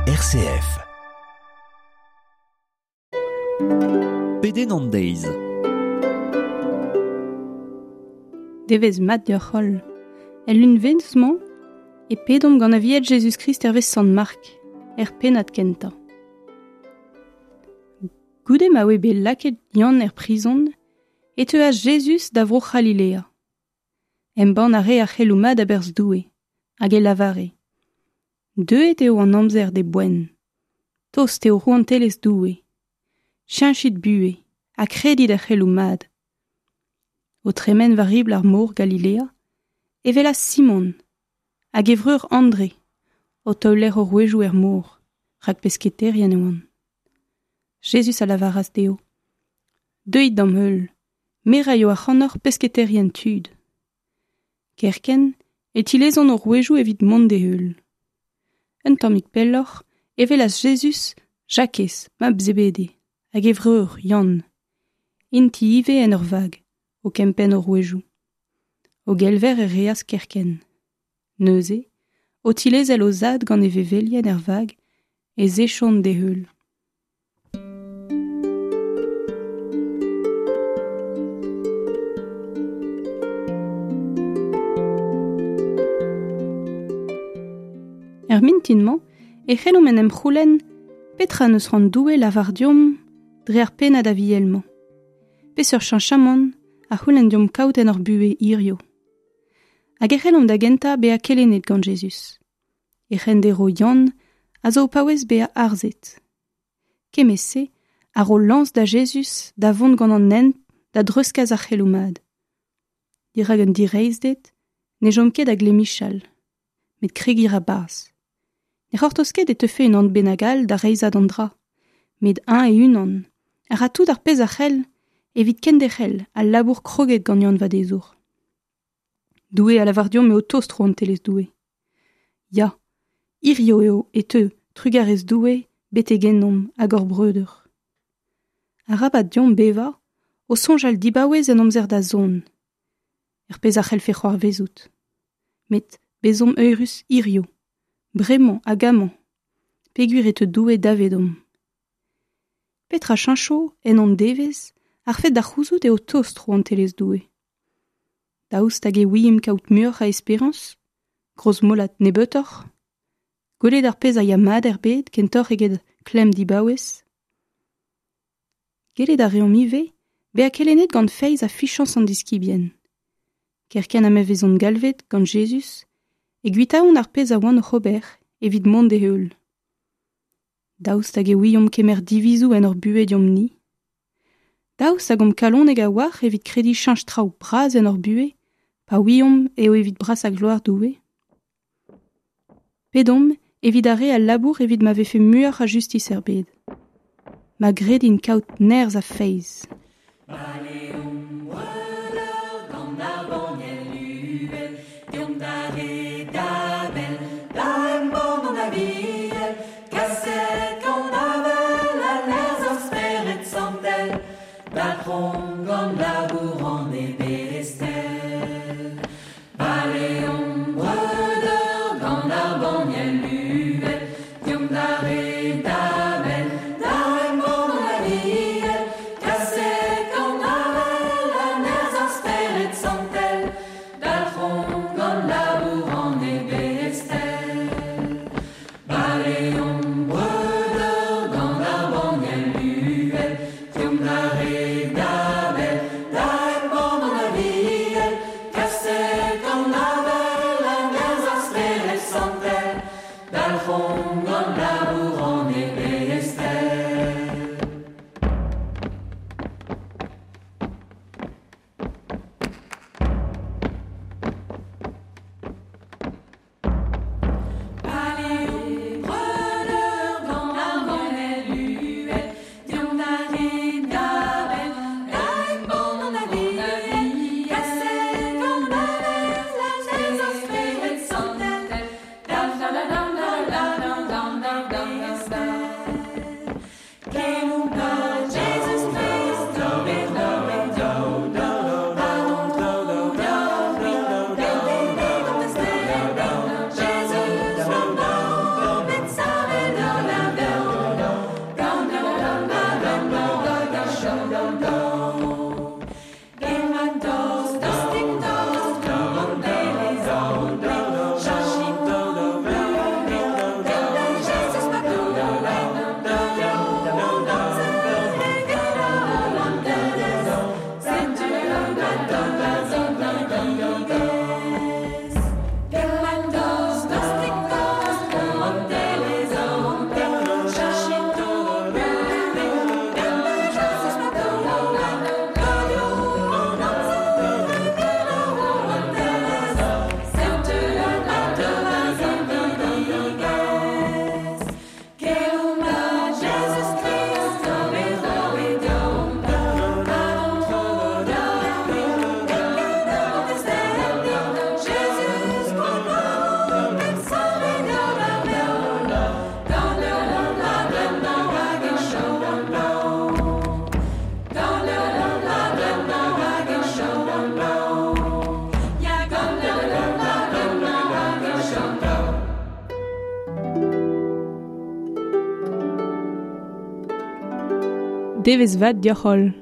RCF. Pedenn an deiz. Devezh mat deoc'h holl. El lunvezh-mañ e pedomp gant Aviel Jezuz-Krist hervez Sant Mark, er pennad kentañ. Goude ma oe bet lakaet Yann er prizon, e teuas Jezuz da vro C'halilea. Embann a rae ar c'heloù mat a-berzh Doue, hag e lavare: Deuet eo an amzer d'e boent. Tost eo rouantelezh Doue. Cheñchit buhez ha kredit er c'heloù mat. O tremen war ribl ar mor Galilea, e welas Simon hag e vreur Andre o taoler o rouedoù er mor, rak pesketaerien e oant. Jezuz a lavaras dezho: Deuit d'am heul, me 'raio ac'hanoc'h pesketaerien tud. Kerkent e tilezont o rouedoù evit mont d'e heul. Un tammig pelloc'h e welas Jezuz Jakez, mab Zebede, hag e vreur Yann. Int-i ivez en ur vag, o kempenn o rouedoù. O gelver e reas kerkent. Neuze, o tilezel o zad gant e vevelien er vag, ez echont d'e heul. Er mintin-mañ e c'hellomp en em c'houlenn petra n'eus c'hoant Doue lavar deomp dre ar pennad aviel-mañ. Peseurt cheñchamant a c'houlenn deomp kaout en hor buhez hiziv. Hag e c'hellomp da gentañ bezañ kelennet gant Jezuz. E c'henderv Yann a zo o paouez bezañ harzet. Kement-se a ro lañs da Jezuz da vont gant an hent da dreuzkas ar c'heloù mat. Dirak un direizhded ne chom ket da glemmichal, met kregiñ a ra 'barzh. Ne c'hortoz ket e teufe unan bennak all da reizhañ an dra, met eñ e-unan a ra tout ar pezh a c'hell evit kenderc'hel al labour kroget gant Yann Vadezour. Doue a lavar deomp eo tost rouantelezh Doue. Ya, hiziv eo e teu trugarez Doue betek ennomp hag hor breudeur. Arabat deomp bevañ o soñjal dibaouez en amzer da zont, er pezh a c'hellfe c'hoarvezout. Met bezomp eürus hiziv, bremañ hag amañ, peogwir e teu Doue davedomp. Petra cheñcho en hon devezh ar fed da c'houzout eo tost rouantelezh Doue. Daoust hag e ouiimp kaout muioc'h a esperañs, grozmolat nebeutoc'h, gwelet ar pezh a ya mat er bed kentoc'h eget klemm dibaouez. Gellet a reomp ivez bezañ kelennet gant feiz ha fichañs an diskibien. Kerkent ha ma vezont galvet gant Jezuz e kuitaont ar pezh a oant oc'h ober evit mont d'e heul. Daoust hag e ouiomp kemer divizoù en hor buhez deomp-ni? Daoust hag omp kalonek a-walc'h evit krediñ cheñch traoù bras en hor buhez pa ouiomp eo evit brasañ gloar Doue? Pedomp evit ar re a labour evit ma vefe muioc'h a justis er bed. Ma gredint kaout nerzh ha feiz. Baleomp breudeur gant ar banniel uhel, deomp d'ar re da bell, da embann an Aviel, kaset gant avel ha nerzh ar Spered Santel, dalc'homp gant labour an Ebestel. Baleomp breudeur gant ar banniel uhel, deomp d'ar re da bell, da embann an Aviel, kaset gant avel ha nerzh ar Spered Santel, dalc'homp gant labour an Ebestel. Baleomp breudeur gant ar banniel uhel, deomp d'ar re da bell, da embann an Aviel, kaset gant avel ha nerzh ar Spered Santel, dalc'homp gant labour an Ebestel. Baleomp breudeur gant ar banniel uhel, deomp d'ar re da bell, da embann an Aviel, kaset gant avel ha nerzh ar Spered Santel. Devezh vat deoc'h holl.